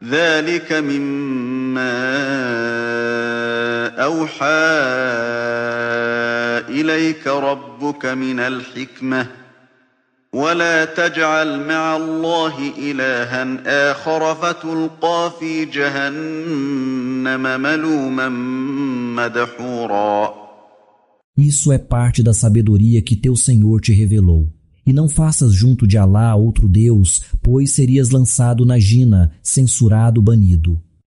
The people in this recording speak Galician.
ذلك مما أوحى إليك ربك من الحكمة ولا تجعل مع الله إلها آخر فتلقى في جهنم ملوما مدحورا. Isso é parte da sabedoria que teu Senhor te revelou. E não faças junto de Alá outro Deus, pois serias lançado na Jina, censurado, banido.